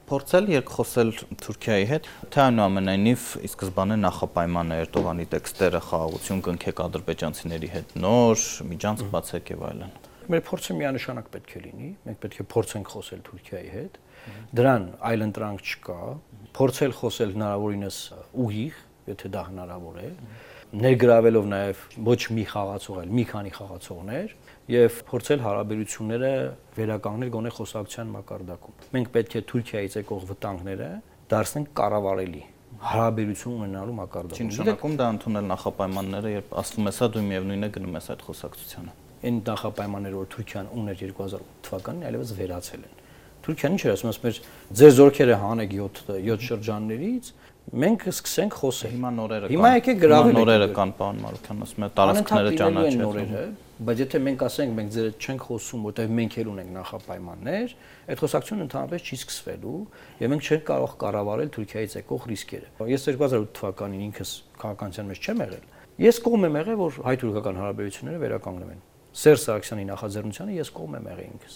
Փորձել երկխոսել Թուրքիայի հետ, թե այնուամենայնիվ ի սկզբանե նախապայման է Էրդողանի տեքստերը խաղաղություն կնքեք ադրբեջանցիների հետ նոր միջանցք բացեք եւ այլն։ Մեր փորձը միանշանակ պետք է լինի, մենք պետք է փորձենք խոսել Թուրքիայի հետ, դրան այլընտրանք չկա, փորձել խոսել հնարավորինս ուղիղ, եթե դա հնարավոր է, ներգրավելով նաև ոչ մի խաղացող, այլ մի քանի խաղացողներ եւ փորձել հարաբերությունները վերականգնել գոնե խոսակցության մակարդակում։ Մենք պետք է Թուրքիայից եկող վտանգները դարձնենք կառավարելի հարաբերություն ունենալու մակարդակում։ Նշանակում դա ընդունել նախապայմանները, երբ ասվում է սա դու միևնույն է գնում ես այդ խոսակցությանը։ Այն նախապայմանները, որ Թուրքիան ուներ 2008 թվականին, այլևս վերացել են։ Թուրքիան ինչ էր ասում, ասում էր ձեր զորքերը հանեք 7 շրջաններից, մենք սկսենք խոսել։ Հիմա եկեք գրավել նորերը կան, պարոն Մարուկյան, ասում է տարածքները ճանաչել։ Բայց եթե մենք ասենք մենք ձեր հետ չենք խոսում, որտեղ մենք էլ ունենք նախապայմաններ, այդ խոսակցությունը ընդհանրապես չի սկսվելու եւ մենք չենք կարող կառավարել Թուրքիայից եկող ռիսկերը։ Ես 2008 թվականին ինքս քաղաքականության մեջ չեմ եղել։ Ես կողմ եմ եղել, որ հայ-թուրքական հարաբերությունները վերականգնվեն։ Սերժ Սարգսյանի նախաձեռնությանը ես կողմ եմ եղել ինքս։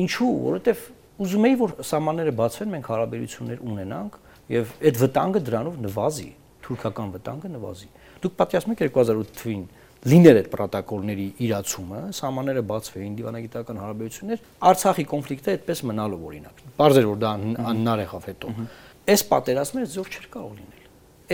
Ինչու՞, որովհետեւ ուզում էի, որ սահմանները բացվեն, մենք հարաբերություններ ունենանք եւ այդ վտանգը դրանով նվազի, թուրքական վտանգը նվազի։ Դուք պատկերացնում եք 2008 թվին լիներ այդ պրոտոկոլների իրացումը, սահմանները բացվեին, դիվանագիտական հարաբերություններ, Արցախի կոնֆլիկտը այդպես մնալով օրինակ։ Պարզ էր, որ դա անհնար եղավ հետո։ Այս պատերազմը զոր չէր կարող լինել։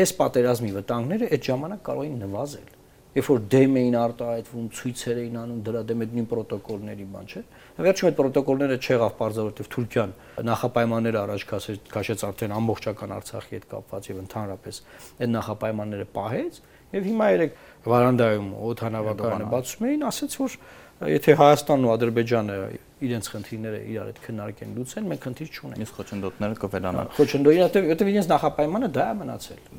Այս պատերազմի վտանգները այդ ժամանակ կարող էին նվազել։ Երբ որ դեմ էին արտահայտվում, ցույցեր էին անում դրա դեմ այդ նույն պրոտոկոլների բան, չէ՞։ Վերջում այդ պրոտոկոլները չեղավ բարձր, որովհետև Թուրքիան նախապայմանները առաջ քաշեց արդեն ամբողջական Արցախի հետ կապված եւ ընդհանրապես այդ նախապայմանները պահեց եւ հիմա երեք վարանդայում օդանավակայանը բացում էին, ասաց որ եթե Հայաստանն ու Ադրբեջանը իրենց խնդիրները իրար հետ քննարկեն լուծեն, մենք խնդիր չունենք։ Իսկ խոչընդոտները կվերանան։ Խոչընդոտները, որտեղ իրենց նախապայմանը դա է մնացել։